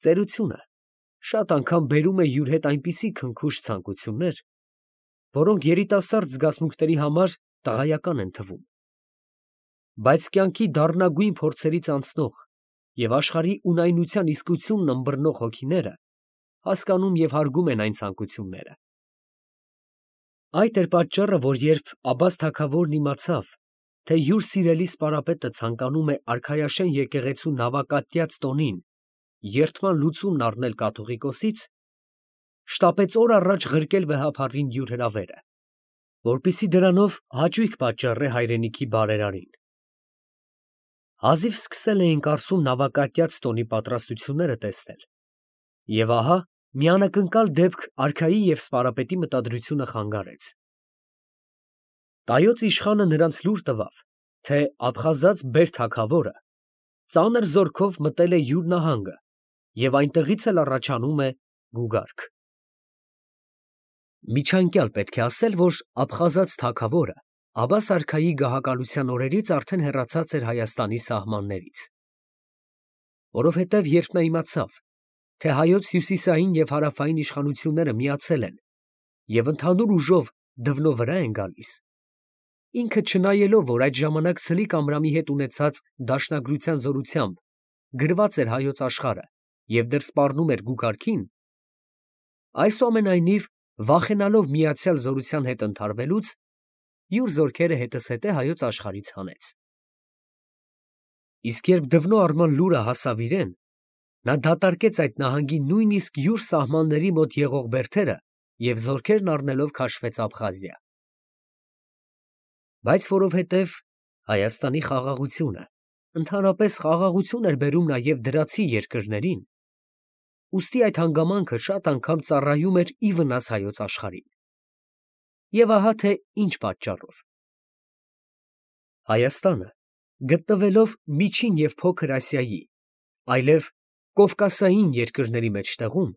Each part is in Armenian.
Ծերությունը շատ անգամ բերում է յուր հետ այնպիսի քնքուշ ցանկություններ, որոնք երիտասարդ զգացմունքների համար տղայական են թվում, բայց կյանքի դառնագույն փորձերից անցնող և աշխարհի ունայնության իսկությունն ըմբռնող հոգիները հասկանում և հարգում են այն ցանկությունները։ Այդ էր պատճառը, որ երբ Աբբաս թագավորն իմացավ, թե յուր սիրելի սպարապետը ցանկանում է արքայաշեն եկեղեցու նավակատյաց տոնին երդման լուծումն առնել կաթողիկոսից, շտապեց օր առաջ ղրկել վեհափառին յուր հրավերը, որպեսզի դրանով հաճույք պատճառե հայրենիքի բարերարին։ Հազիվ սկսել էին կարծում նավակատյաց տոնի պատրաստությունները տեսնել, և ահա մի անակնկալ դեպք արքայի և սպարապետի մտադրությունը խանգարեց։ Տայոց իշխանը նրանց լուր տվավ, թե աբխազած բեր թագավորը ծանր զորքով մտել է յուր նահանգը և այնտեղից էլ առաջանում է գուգարք։ Միջանկյալ պետք է ասել, որ աբխազած թագավորը Աբբաս արքայի գահակալության օրերից արդեն հեռացած էր Հայաստանի սահմաններից, որովհետև երբ նա իմացավ, թե հայոց հյուսիսային և հարավային իշխանությունները միացել են և ընդհանուր ուժով Դվնո վրա են գալիս, ինքը չնայելով, որ այդ ժամանակ Սլիկ Ամրամի հետ ունեցած դաշնագրության զորությամբ գրված էր հայոց աշխարհը և դեռ սպառնում էր գուգարքին, այսուամենայնիվ վախենալով միացյալ զորության հետ ընդհարվելուց, յուր զորքերը հետզհետե հայոց աշխարհից հանեց։ Իսկ երբ Դվնո արման լուրը հասավ իրեն, նա դատարկեց այդ նահանգի նույնիսկ յուր սահմանների մոտ եղող բերդերը և զորքերն առնելով քաշվեց Աբխազիա։ Բայց որովհետև Հայաստանի խաղաղությունը ընդհանրապես խաղաղություն էր բերում նաև դրացի երկրներին, ուստի այդ հանգամանքը շատ անգամ ծառայում էր ի վնաս հայոց աշխարհին։ Եվ ահա թե ինչ պատճառով։ Հայաստանը, գտնվելով Միջին և Փոքր Ասիայի, այլև կովկասային երկրների մեջտեղում,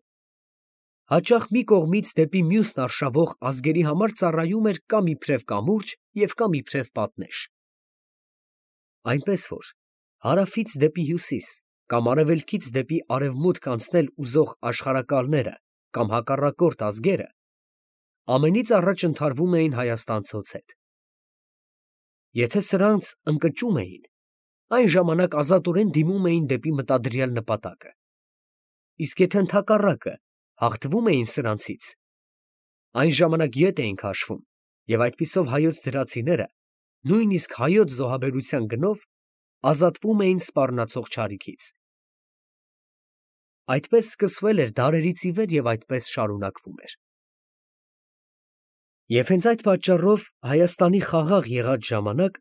հաճախ մի կողմից դեպի մյուսն արշավող ազգերի համար ծառայում էր կամ իբրև կամուրջ և կամ իբրև պատնեշ։ Այնպես որ հարավից դեպի հյուսիս կամ արևելքից դեպի արևմուտք անցնել ուզող աշխարհակալները կամ հակառակորդ ազգերը ամենից առաջ ընդհարվում էին հայաստանցուց հետ։ Եթե սրանց ընկճում էին, այն ժամանակ ազատորեն դիմում էին դեպի մտադրյալ նպատակը, իսկ եթե ընդհակառակը հաղթվում էին սրանցից, այն ժամանակ ետ էին քաշվում և այդպիսով հայոց դրացիները նույնիսկ հայոց զոհաբերության գնով ազատվում էին սպառնացող չարիքից։ Այդպես սկսվել էր դարերից ի վեր և այդպես շարունակվում էր։ Եվ հենց այդ պատճառով Հայաստանի խաղաղ եղած ժամանակ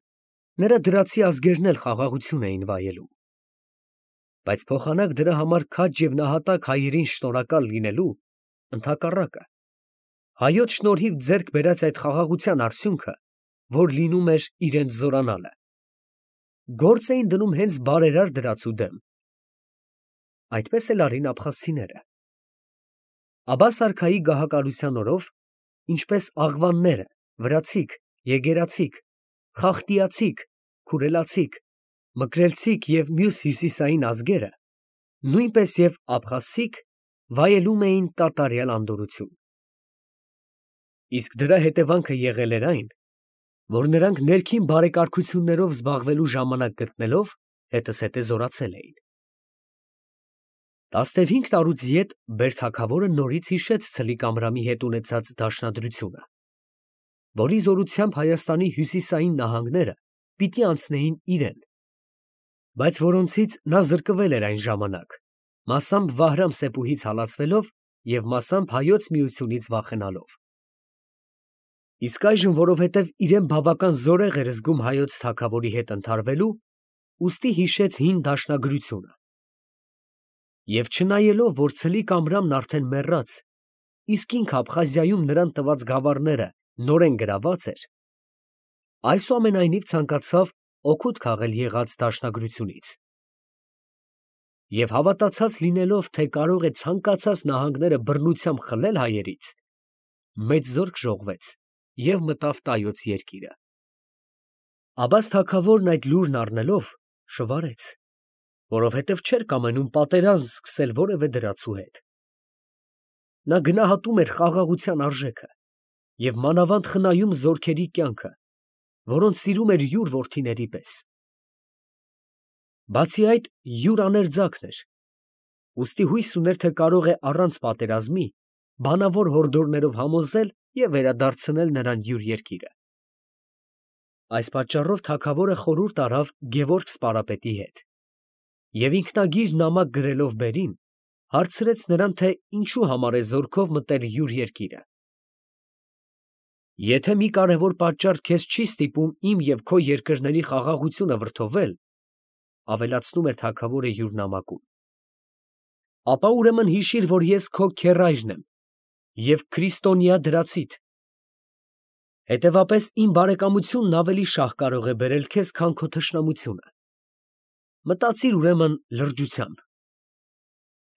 նրա դրացի ազգերն էլ խաղաղություն էին վայելում։ Բայց փոխանակ դրա համար քաջ և նահատակ հայերին շնորհակալ լինելու, ընդհակառակը, հայոց շնորհիվ ձեռք բերած այդ խաղաղության արդյունքը, որ լինում էր իրենց զորանալը, գործ էին դնում հենց բարերար դրացու դեմ։ Այդպես էլ արին աբխազցիները։ Աբբաս արքայի գահակալության օրով, ինչպես աղվանները, վրացիք, եգերացիք, խախտիացիք, քուրելացիք, մկրելցիք և մյուս հյուսիսային ազգերը, նույնպես և աբխազցիք վայելում էին կատարյալ անդորրություն։ Իսկ դրա հետևանքը եղել էր այն, որ նրանք ներքին բարեկարգություններով զբաղվելու ժամանակ գտնելով, հետզհետե զորացել էին։ 15 տարուց ետ բերդաքավորը նորից հիշեց Սլիկ Ամրամի հետ ունեցած դաշնադրությունը, որի զորությամբ Հայաստանի հյուսիսային նահանգները պիտի անցնեին իրեն, բայց որոնցից նա զրկվել էր այն ժամանակ, մասամբ Վահրամ֊Սեփուհից հալածվելով և մասամբ Հայոց Միությունից վախենալով։ Իսկ այժմ, որովհետև իրեն բավական զորեղ էր զգում հայոց թագավորի հետ ընդհարվելու, ուստի հիշեց հին դաշնագրությունը։ Եվ չնայելով, որ Սլիկ Ամրամն արդեն մեռած, իսկ ինքը Աբխազիայում նրան տված գավառները նորեն գրաված էր, այսուամենայնիվ ցանկացավ օգուտ քաղել եղած դաշնագրությունից։ Եվ հավատացած լինելով, թե կարող է ցանկացած նահանգները բռնությամբ խլել հայերից, մեծ զորք ժողվեց և մտավ Տայոց երկիրը։ Աբբաս թագավորն այդ լուրն առնելով շվարեց որովհետև չէր կամենում պատերազմ սկսել որևէ դրացու հետ։ Նա գնահատում էր խաղաղության արժեքը և մանավանդ խնայում զորքերի կյանքը, որոնց սիրում էր յուր որդիների պես։ Բացի այդ, յուր աներձակն էր, ուստի հույս ուներ, թե կարող է առանց պատերազմի բանավոր հորդորներով համոզել և վերադարձնել նրան յուր երկիրը։ Այս պատճառով թագավորը խորհուրդ արավ Գևորգ սպարապետի հետ և ինքնագիր նամակ գրելով բերին, հարցրեց նրան, թե ինչու համար է զորքով մտել յուր երկիրը։ Եթե մի կարևոր պատճառ քեզ չի ստիպում իմ և քո երկրների խաղաղությունը վրդովել, ավելացնում էր թագավորը յուր նամակում, ապա ուրեմն հիշիր, որ ես քո քեռայրն եմ և քրիստոնյա դրացիդ. հետևապես իմ բարեկամությունն ավելի շահ կարող է բերել քեզ, քան քո թշնամությունը. մտածիր ուրեմն լրջությամբ,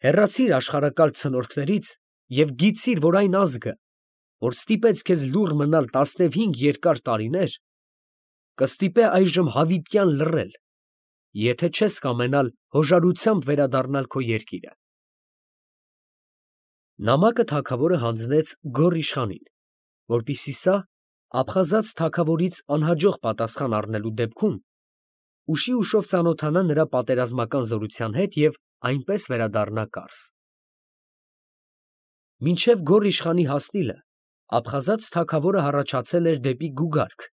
հեռացիր աշխարհակալ ցնորքներից և գիտցիր, որ այն ազգը, որ ստիպեց քեզ լուռ մնալ 15 երկար տարիներ, կստիպե այժմ հավիտյան լռել, եթե չես կամենալ հոժարությամբ վերադառնալ քո երկիրը։ Նամակը թագավորը հանձնեց Գոռ իշխանին, որպեսզի սա աբխազած թագավորից անհաջող պատասխան առնելու դեպքում ուշի ուշով ծանոթանա նրա պատերազմական զորության հետ և այնպես վերադառնա Կարս։ Մինչև Գոռ իշխանի հասնիլը աբխազած թագավորը հառաջացել էր դեպի Գուգարք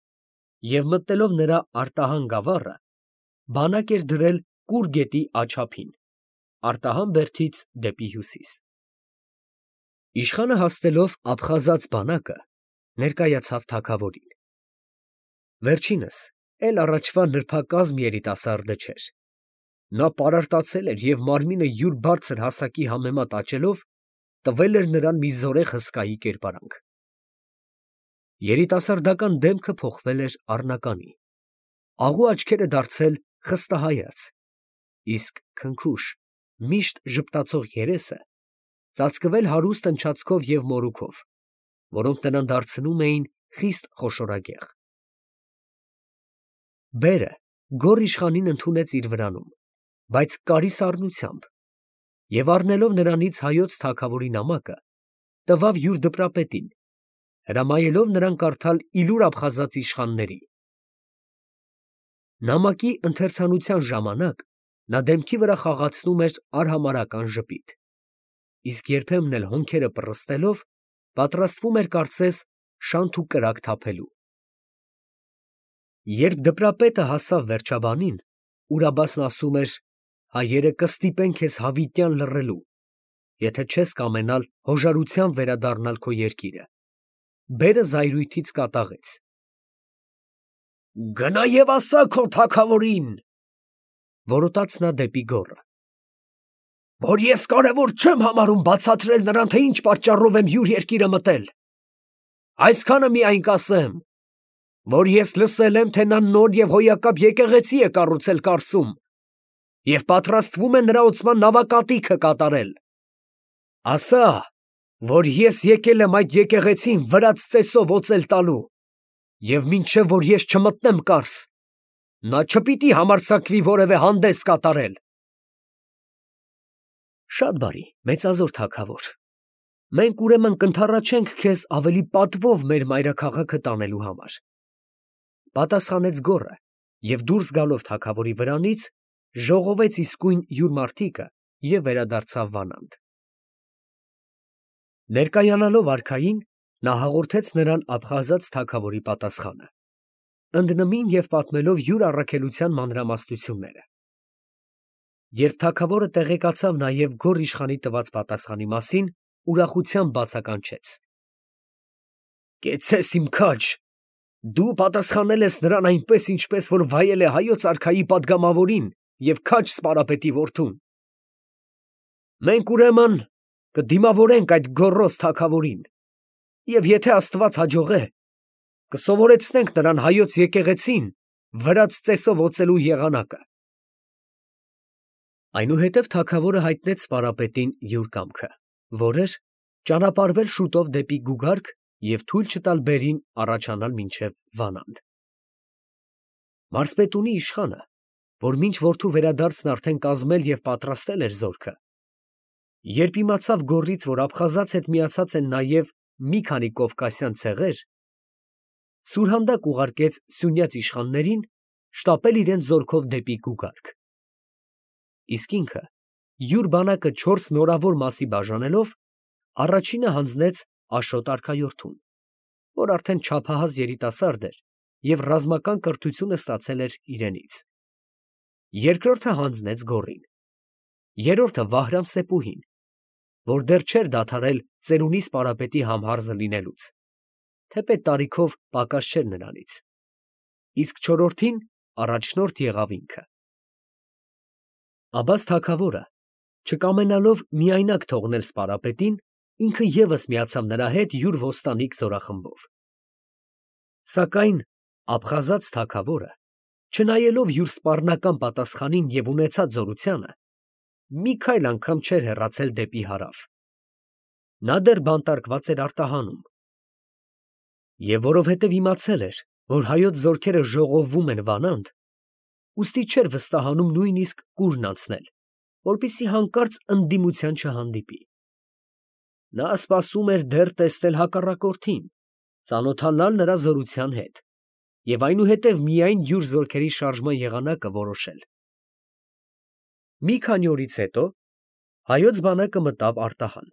և մտնելով նրա արտահան գավառը, բանակ էր դրել Կուր գետի աջափին, արտահան բերդից դեպի հյուսիս։ Իշխանը հասնելով աբխազած բանակը, ներկայացավ թագավորին։ Վերջինս, էլ առաջվա նրբակազմ երիտասարդը չէր։ Նա պարարտացել էր և մարմինը յուր բարձր հասակի համեմատ աճելով, տվել էր նրան մի զորեղ հսկայի կերպարանք։ Երիտասարդական դեմքը փոխվել էր առնականի, աղու աչքերը դարձել խստահայաց, իսկ քնքուշ, միշտ ժպտացող երեսը ծածկվել հարուստ ընչացքով և մորուքով, որոնք նրան դարձնում էին խիստ խոշորագեղ։ Բերը Գոռ իշխանին ընդունեց իր վրանում, բայց կարիսառնությամբ, և առնելով նրանից հայոց թագավորի նամակը, տվավ յուր դպրապետին, հրամայելով նրան կարդալ իլուր աբխազած իշխաններին։ Նամակի ընթերցանության ժամանակ նա դեմքի վրա խաղացնում էր արհամարհական ժպիտ, իսկ երբեմն էլ հոնքերը պռստելով պատրաստվում էր կարծես շանթ ու կրակ թափելու։ Երբ դպրապետը հասավ վերջաբանին, ուրաբասն ասում էր. հայերը կստիպեն քեզ հավիտյան լռելու, եթե չես կամենալ հոժարությամբ վերադառնալ քո երկիրը, բերը զայրույթից կատաղեց. «Գնա և ասա քո թագավորին, ֊ որոտաց նա դեպի Գոռը, ֊ որ ես կարևոր չեմ համարում բացատրել նրան, թե ինչ պատճառով եմ յուր երկիրը մտել. այսքանը միայն կասեմ, որ ես լսել եմ, թե նա նոր և հոյակապ եկեղեցի է կառուցել Կարսում և պատրաստվում է նրա ոցման նավակատիքը կատարել. ասա, որ ես եկել եմ այդ եկեղեցին վրաց ծեսով օծել տալու, և մինչև որ ես չմտնեմ Կարս, նա չպիտի համարձակվի որևէ հանդես կատարել»։ Շատ բարի, մեծազոր թագավոր, մենք ուրեմն կընդառաջենք քեզ ավելի պատվով մեր մայրաքաղաքը տանելու համար, ֊ պատասխանեց Գոռը և դուրս գալով թագավորի վրանից, ժողովեց իսկույն յուր մարդիկը և վերադարձավ Վանանդ։ Ներկայանալով արքային, նա հաղորդեց նրան աբխազած թագավորի պատասխանը, ընդնմին և պատմելով յուր առաքելության մանրամասնությունները։ Երբ թագավորը տեղեկացավ նաև Գոռ իշխանի տված պատասխանի մասին, ուրախությամբ բացականչեց. «Կեցցես իմ քաջ, դու պատասխանել ես նրան այնպես, ինչպես որ վայել է հայոց արքայի պատգամավորին և քաջ Սպարապետի որդուն։ Մենք ուրեմն կդիմավորենք այդ գոռոզ թագավորին և եթե Աստված հաջողե, կսովորեցնենք նրան հայոց եկեղեցին վրաց ծեսով օծելու եղանակը»։ Այնուհետև թագավորը հայտնեց Սպարապետին յուր կամքը, որ էր ճանապարհվել շուտով դեպի Գուգարք և թույլ չտալ բերին առաջանալ մինչև Վանանդ։ Մարզպետունի իշխանը, որ մինչ որդու վերադարձն արդեն կազմել և պատրաստել էր զորքը, երբ իմացավ գոռից, որ Աբխազած հետ միացած են նաև մի քանի կովկասյան ցեղեր, սուրհանդակ ուղարկեց սյունյաց իշխաններին շտապել իրենց զորքով դեպի Գուգարք. իսկ ինքը յուր բանակը 4 նորավոր մասի բաժանելով, առաջինը հանձնեց Աշոտ արքայորդուն, որ արդեն չափահաս երիտասարդ էր և ռազմական կրթությունը ստացել էր իրենից, երկրորդը հանձնեց Գոռին, երրորդը Վահրամ Սեպուհին, որ դեռ չէր դադարել ծերունի սպարապետի համհարզը լինելուց, թեպետ տարիքով պակաս չէր նրանից, իսկ չորրորդին առաջնորդ եղավ ինքը։ Աբաս թագավորը, չկամենալով միայնակ թողնել սպարապետին, ինքը ևս միացավ նրա հետ յուր ոստանիկ զորախմբով։ Սակայն Աբխազած թագավորը, չնայելով յուր սպառնական պատասխանին և ունեցած զորությանը, մի քայլ անգամ չէր հեռացել դեպի հարավ. նա դեռ բանտարկված էր արտահանում, և որովհետև իմացել էր, որ հայոց զորքերը ժողովվում են Վանանդ, ուստի չէր վստահանում նույնիսկ կուրն անցնել, որպեսզի հանկարծ ընդդիմության չհանդիպի։ Նա սպասում էր դեռ տեսնել հակառակորդին, ծանոթանալ նրա զորության հետ և այնուհետև միայն յուր զորքերի շարժման եղանակը որոշել։ Մի քանի օրից հետո հայոց բանակը մտավ արտահան,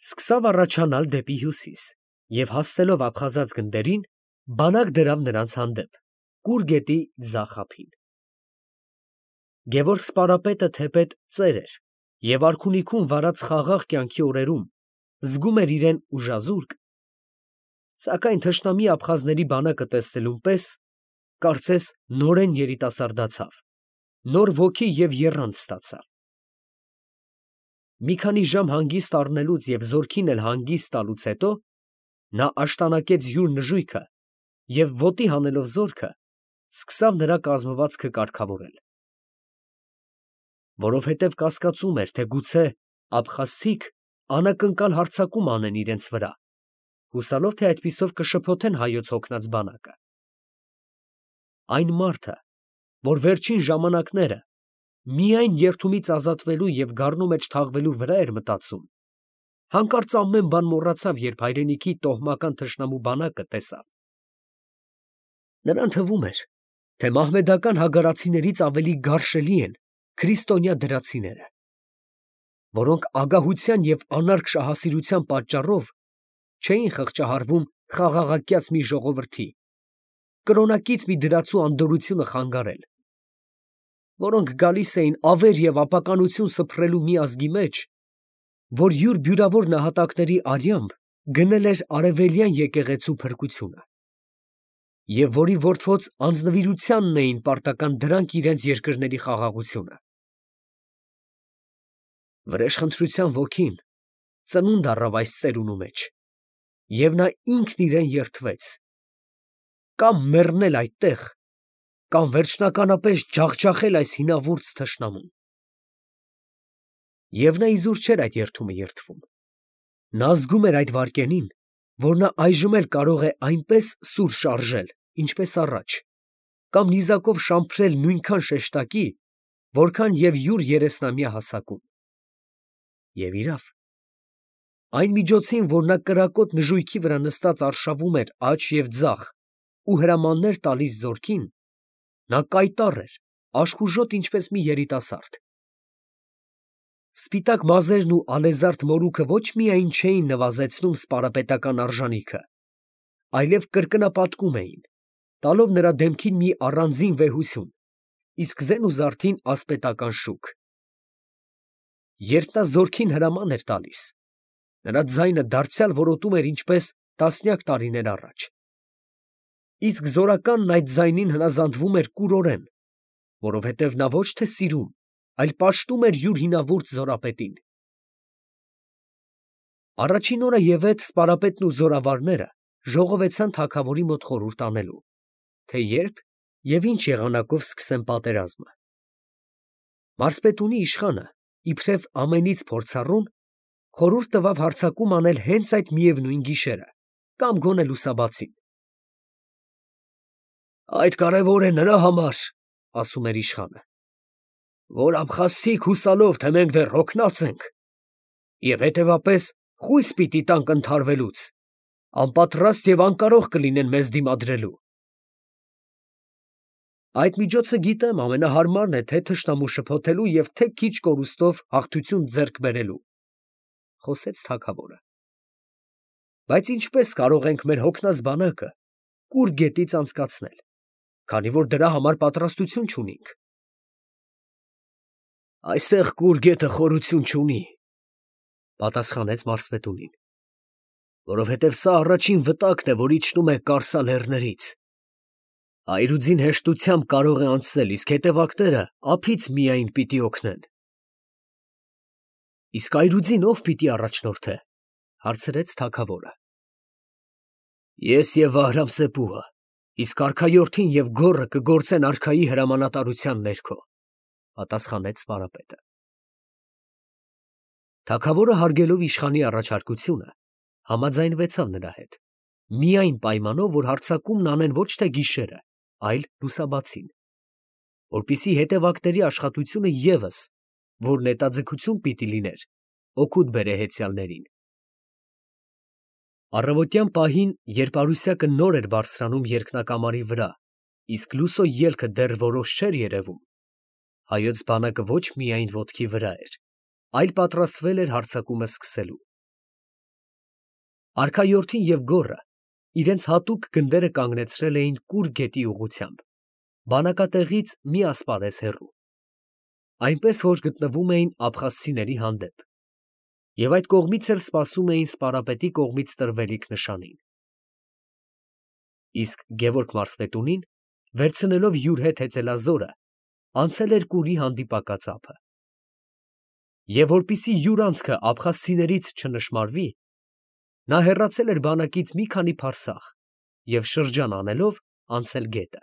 սկսավ առաջանալ դեպի հյուսիս և հասնելով Աբխազած գնդերին, բանակ դրավ նրանց հանդեպ Կուր գետի ձախ ափին։ Գևորգ սպարապետը թեպետ ծեր էր և արքունիքում վարած խաղաղ կյանքի օրերում զգում էր իրեն ուժազուրկ, սակայն թշնամի աբխազների բանակը տեսնելուն պես, կարծես նորեն երիտասարդացավ, նոր ոգի և եռանդ ստացավ։ Մի քանի ժամ հանգիստ առնելուց և զորքին էլ հանգիստ տալուց հետո, նա աշտանակեց յուր նժույգը և ոտի հանելով զորքը, սկսավ նրա կազմվածքը կարգավորել։ Որովհետև կասկածում էր, թե գուցե աբխազցիք անակնկալ հարձակում անեն իրենց վրա, հուսալով, թե այդպիսով կշփոթեն հայոց հոգնած բանակը։ Այն մարդը, որ վերջին ժամանակները միայն երդումից ազատվելու և գառնու մեջ թաղվելու վրա էր մտածում, հանկարծ ամեն բան մոռացավ, երբ հայրենիքի տոհմական թշնամու բանակը տեսավ։ Նրան թվում էր, թե մահմեդական հագարացիներից ավելի գարշելի են քրիստոնյա դրացիները, որոնք ագահության և անարգ շահասիրության պատճառով չէին խղճահարվում խաղաղակյաց մի ժողովրդի, կրոնակից մի դրացու անդորրությունը խանգարել, որոնք գալիս էին ավեր և ապականություն սփռելու մի ազգի մեջ, որ յուր բյուրավոր նահատակների արյամբ գնել էր արևելյան եկեղեցու փրկությունը, և որի որդվոց անձնվիրությանն էին պարտական դրանք իրենց երկրների խաղաղությունը։ Վրեժխնդրության ոգին ծնունդ առավ այս ծերունու մեջ, և նա ինքն իրեն երդվեց. կամ մեռնել այդտեղ, կամ վերջնականապես ջախջախել այս հինավուրց թշնամուն։ Եվ նա իզուր չէր այդ երդումը երդվում. նա զգում էր այդ վայրկյանին, որ նա այժմ էլ կարող է այնպես սուր շարժել, ինչպես առաջ, կամ նիզակով շամփրել նույնքան շեշտակի, որքան և յուր 30-ամյա հասակում։ Եվ իրավ, այն միջոցին, որ նա կրակոտ նժույգի վրա նստած արշավում էր աջ և ձախ ու հրամաններ տալիս զորքին, նա կայտառ էր, աշխուժոտ ինչպես մի երիտասարդ։ Սպիտակ մազերն ու ալեզարդ մորուքը ոչ միայն չէին նվազեցնում սպարապետական արժանիքը, այլև կրկնապատկում էին, տալով նրա դեմքին մի առանձին վեհություն, իսկ զեն ու զարդին ասպետական շուք։ Երբ նա զորքին հրաման էր տալիս, նրա ձայնը դարձյալ որոտում էր ինչպես տասնյակ տարիներ առաջ, իսկ զորականն այդ ձայնին հնազանդվում էր կուրորեն, որովհետև նա ոչ թե սիրում, այլ պաշտում էր յուր հինավուրց զորապետին։ Առաջին օրը ևեթ սպարապետն ու զորավարները ժողովեցան թագավորի մոտ խորհուրդ անելու, թե երբ և ինչ եղանակով սկսեն պատերազմը։ Մարզպետունի իշխանը, իբրև ամենից փորձառուն, խորհուրդ տվավ հարձակում անել հենց այդ միևնույն գիշերը, կամ գոնե լուսաբացին։ «Այդ կարևոր է նրա համար, ֊ ասում էր իշխանը, որ աբխազցիք հուսալով, թե մենք դեռ հոգնած ենք, և հետևապես խույս պիտի տանք ընդհարվելուց, անպատրաստ և անկարող կլինեն մեզ դիմադրելու։ Այդ միջոցը գիտեմ ամենահարմարն է թե թշնամու շփոթելու և թե քիչ կորուստով հաղթություն ձեռք բերելու, խոսեց թագավորը։ Բայց ինչպես կարող ենք մեր հոգնած բանակը կուր գետից անցկացնել, քանի որ դրա համար պատրաստություն չունենք։ Այստեղ կուր գետը խորություն չունի, պատասխանեց մարզպետունին, որովհետև սա առաջին վտակն է, որ իջնում է Կարսալ լեռներից։ Այրուձին հեշտությամբ կարող է անցնել, իսկ հետևակները ափից միայն պիտի օգնեն։ Իսկ այրուձին ով պիտի առաջնորդե, հարցրեց թագավորը։ Ես և Վահրամ-Սեփուհը, իսկ արքայորդին և գոռը կգործեն արքայի հրամանատարության ներքո, պատասխանեց սպարապետը։ Թագավորը հարգելով իշխանի առաջարկությունը, համաձայնվեցավ նրա հետ, միայն պայմանով, որ հարձակումն անեն ոչ թե գիշերը, այլ լուսաբացին, որպեսզի հետևակների աշխատությունը ևս, որ նետաձգություն պիտի լիներ, օգուտ բերե հեծյալներին։ Առավոտյան պահին, երբ Արուսյակը նոր էր բարձրանում երկնակամարի վրա, իսկ լուսո ելքը դեռ որոշ չէր երևում, հայոց բանակը ոչ միայն ոտքի վրա էր, այլ պատրաստվել էր հարձակումը սկսելու։ Արքայորդին և գոռը իրենց հատուկ գնդերը կանգնեցրել էին Կուր գետի ուղղությամբ, բանակատեղից մի ասպարեզ հեռու, այնպես որ գտնվում էին աբխազցիների հանդեպ, և այդ կողմից էլ սպասում էին սպարապետի կողմից տրվելիք նշանին։ Իսկ Գևորգ մարզպետունին, վերցնելով յուր հետ հեծելազորը, անցել էր Կուրի հանդիպակաց ափը։ Եվ որպեսզի յուր անցքը աբխազցիներից չնշմարվի, նա հեռացել էր բանակից մի քանի փարսաղ և շրջան անելով անցել գետը։